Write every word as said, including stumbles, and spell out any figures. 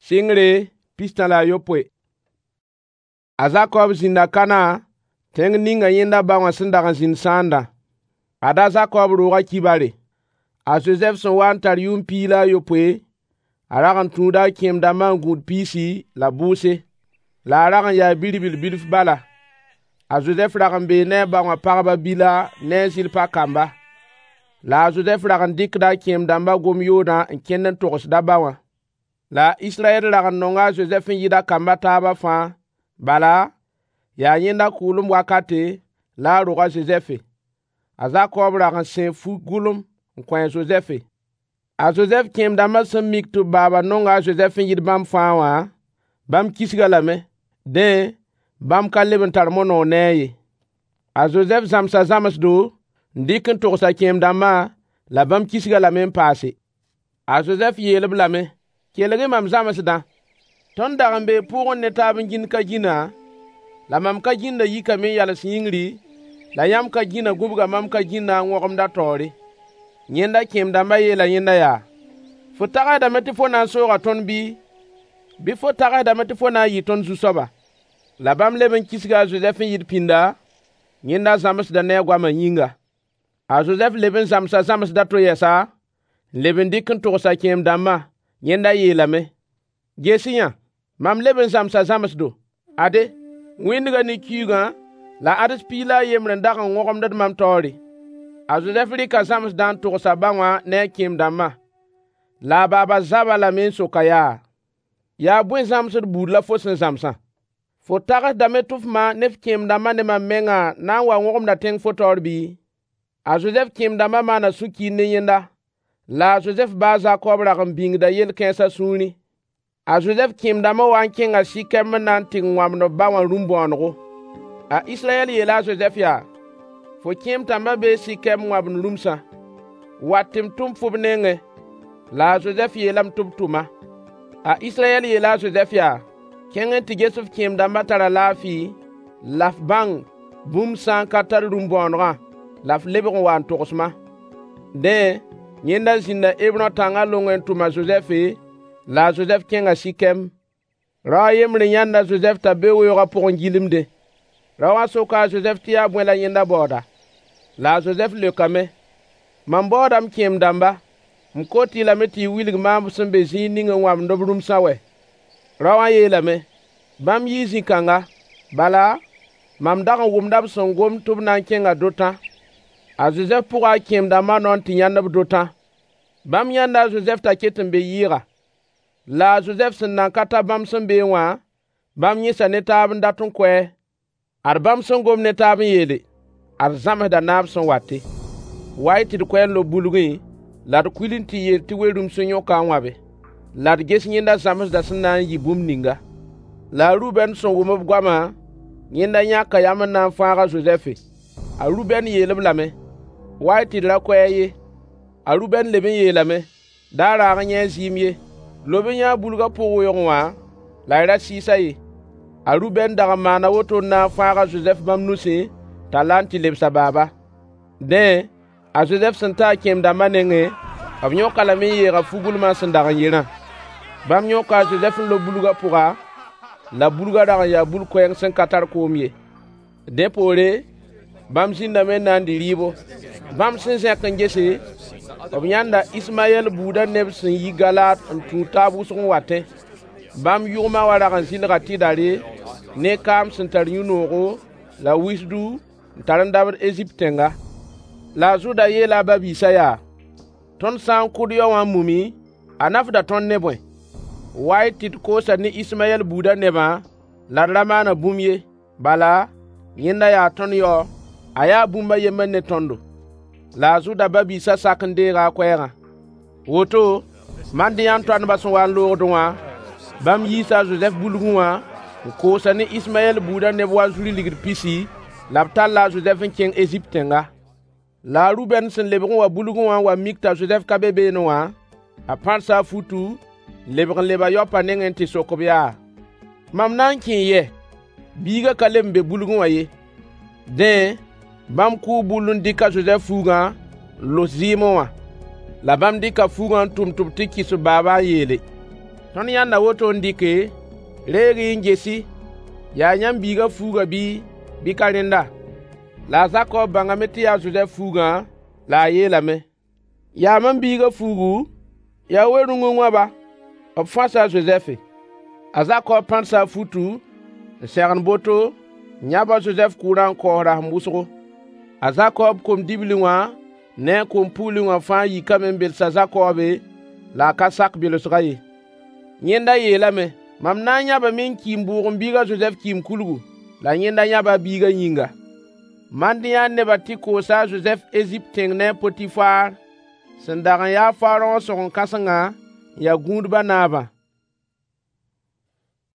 Sɩngre pistã la a yopoe. A Zakob zĩnda Kanã, tẽng ninga yẽnda ba wã sẽn dag n zĩnd sãandã. Ad-a a Zakob roogã kibare. A Zozɛf sẽn waa n tar yʋʋm piig la a yopoe, a rag n tũuda a kẽem-dãmbã n gũud piisi la bʋʋse. La a rag n yaa bi-ribl bilf bala. A Zozɛf rag n bee ne a ba wã pagb a Bila ne a Zɩlpa kamba. La a Zozɛf rag n dɩkda a kẽem-dãmbã gom-yoodã n kẽnd n togsd a ba wã. La a Israyɛl rag n nonga a Zozɛf n yɩɩd a kamb a taabã fãa, bala, yaa yẽnda kʋʋlem wakate la a rog a Zozɛfe. A Zakob rag n sẽe fu-gʋlem n kõ a Zozɛfe. A Zozɛf kẽem-dãmbã sẽn mik tɩ b baaba nonga a Zozɛf n yɩɩd bãmb fãa wã, bãmb kisg-a lame. Dẽ, bãmb ka leb n tar mo-noog ne-a ye. A Zozɛf zãmsa zãmsdo n dɩk n togs a kẽem-dãmbã, la bãmb kisg-a lame n paase. A Zozɛf yeel-b lame: Kelg-y mam zãmsdã. Tõnd dag n bee pʋʋgẽ ne taab n gĩnd ka-gĩna, la mam ka-gĩndã yikame n yals yĩngri, la yãmb ka-gĩnã gũbga mam ka-gĩndã n wõgemd a taoore. Yẽnda kẽem-dãmbã yeela yẽnda yaa: Fo tagsdame tɩ fo na n sooga tõnd bɩ? Bɩ fo tagsdame tɩ fo na n yɩɩ tõnd zu-soaba? La bãmb leb n kisga a Zozɛf n yɩɩd pĩnda, yẽnda zãmsdã ne a goamã yĩnga. A Zozɛf leb n zãmsa zãmsd a to yɛsa, n leb n dɩk n togs a kẽem-dãmbã. Yẽnda yeelame: Ges-y-yã, mam leb n zãmsa zãmsdo. Ade, wĩndgã ne kiuugã la ãds piig la a yembr n dag n wõgemd mam taoore. A Zozɛf rɩka zãmsdã n togs a ba wã ne a kẽem-dãmbã. La a baaba zab-a lame n sok-a yaa: Yaa bõe zãmsd buud la fo sẽn zãmsã? Fo tagsdame tɩ f ma ne f kẽem-dãmbã ne mam mengã na n wa wõgemda tẽng fo taoor bɩ? A Zozɛf kẽem-dãmbã maana sũ-kiir ne yẽnda. La a Zozɛf ba a Zakob rag n bĩngda yel-kãens a sũurẽ. A Zozɛf kẽem-dãmbã waa n kẽnga Sɩkɛm n na n tɩ wãbd b ba wã rũm-bõonego. A Israyɛl yeela a Zozɛf yaa: Fo kẽem-tãmbã bee Sɩkɛm n wãbnd rũmsã. Wa tɩ m tʋm-fo b nengẽ. La a Zozɛf yeelame tɩ b tʋm-a. A Israyɛl yeela a Zozɛf yaa: Kẽng n tɩ ges f kẽem-dãmbã tara laafɩ, la f bãng bũmb sã n ka tar rũm-bõonegã, la f lebg n wa n togs-ma. Dẽ, yẽnda zĩnda Hebrõ tãngã longẽ n tʋm a Zozɛfe, la a Zozɛf kẽnga Sɩkɛm. Rao a yembr n yãnd a Zozɛf t'a be weoogã pʋgẽ gilmdẽ. Rao wã soka a Zozɛf tɩ yaa bõe la yẽnda baooda. La a Zozɛf leokame: Mam baooda m kẽem-dãmba. M kot-y lame tɩ y wilg maam b sẽn be zĩig ning n wãbnd b rũmsã wɛ? Rao wã yeelame: Bãmb yii zĩ-kãnga. Bala, mam dag n wʋmda b sẽn gomd tɩ b na n kẽnga Dotã. A Zozɛf pʋga a kẽem-dãmbã nao n tɩ yãnd-b Dotã. Bãmb yãnda a Zozɛf t'a ket n be yɩɩga. La a Zozɛf sẽn nan ka ta bãmb sẽn beẽ wã, bãmb yẽsa ne taab n dat n kʋ-a. Ad bãmb sẽn gom ne taab n yeele: Ad zãmsdã naab sẽn wate. Wa-y tɩ d kʋ-a n lob bulgẽ, la d kuil n tɩ yeel tɩ we-rũms n yõk-a n wãbe. La d ges yẽnda zãmsdã sẽn na n yɩ bũmb ninga. La a Rubɛn sẽn wʋm b goamã, yẽnda yãka yam n na n fãag a Zozɛfe. A Rubɛn yeel-b lame: Wa-y tɩ d ra kʋ-a ye. A Rubɛn leb n yeelame: Da raag n yẽ a zɩɩm ye. Lob-y yã bulgã pʋg weoogẽ wã, la y ra sɩɩs-a ye. A Rubɛn dag n maana woto n na n fãag a Zozɛf bãmb nusẽ t'a la n tɩ lebs a baaba. Dẽ, a Zozɛf sẽn ta a kẽem-dãmbã nengẽ, b yõk-a lame n yeeg a fu-gʋlmã sẽn dag n yerã. Bãmb yõka a Zozɛf n lob bulgã pʋga, la bulgã rag n yaa bul-koɛɛng sẽn ka tar koom ye. Dẽ poore, bãmb zĩndame n na n dɩ rɩɩbo. Bãmb sẽn zẽk n gese, b yãnda Ismayɛl buudã neb sẽn yi Galaad n tũud taab wʋsg n watẽ. Bãmb yʋgmã wã rag n zɩlga tɩdare ne kaam sẽn tar yũ-noogo la wisdu n tar n dabd Ezipt tẽnga. La a Zʋda yeela a ba-biisã yaa: Tõnd sã n kʋ d yao wã n mumi, a nafda tõnd ne bõe? Wa-y tɩ d koosa ne Ismayɛl buudã nebã la d ra maana bũmb ye. Bala, yẽnda yaa tõnd yao, a yaa bũmb a yembr ne tõndo. La a Zʋda ba-biisã sak n deega a koɛɛgã. Woto, Madiyã toandbã sẽn wa n loogdẽ wã, bãmb yiisa a Zozɛf bulgẽ wã n koosa ne Ismayɛl buudã neb wanzuri ligd pisi, la b talla a Zozɛf n kẽng Ezipt tẽnga. La a Rubɛn sẽn lebg n wa bulgẽ wã n wa mik t'a Zozɛf ka be beene wã, a pãrsa a futu, n lebg n leb a yaopã nengẽ n tɩ sok-b yaa: Mam na n kẽe yɛ? Biigã ka leb n be bulgẽ wã ye. Dẽ, bãmb kʋʋ bull n dɩk a Zozɛf fuugã n los zɩɩmẽ wã. La bãmb dɩka fuugã n tʋm tɩ b tɩ kɩs b baaba n yeele: Tõnd yãnda woto n dɩke, reeg-y n ges-y, yaa yãmb biigã fuugã bɩ, bɩ ka rẽnda? La a Zakob bãngame tɩ yaa a Zozɛf fuugã, la a yeelame: Yaa mam biigã fuugu? Yaa we-rũng n wãba? B fãsa a Zozɛfe. A Zakob pãdsa a futu n sẽgen boto, n yãb a Zozɛf kʋʋrã n kaoos rasem wʋsgo. A Zakob kom-dibli wã ne a kom-pugli wã fãa yikame n bels a Zakobe, la a ka sak belsgã ye. Yẽnda yeelame: Mam na n yãbame n ki n bʋʋg m biig a Zozɛf kɩɩm-kulgu. La yẽnda yãba a biigã yĩnga. Madiyã nebã tɩ koosa a Zozɛf Ezipt tẽng ne a Potifaar, sẽn dag n ya a Faraõ sõgen-kãsengã n ya gũudbã naabã.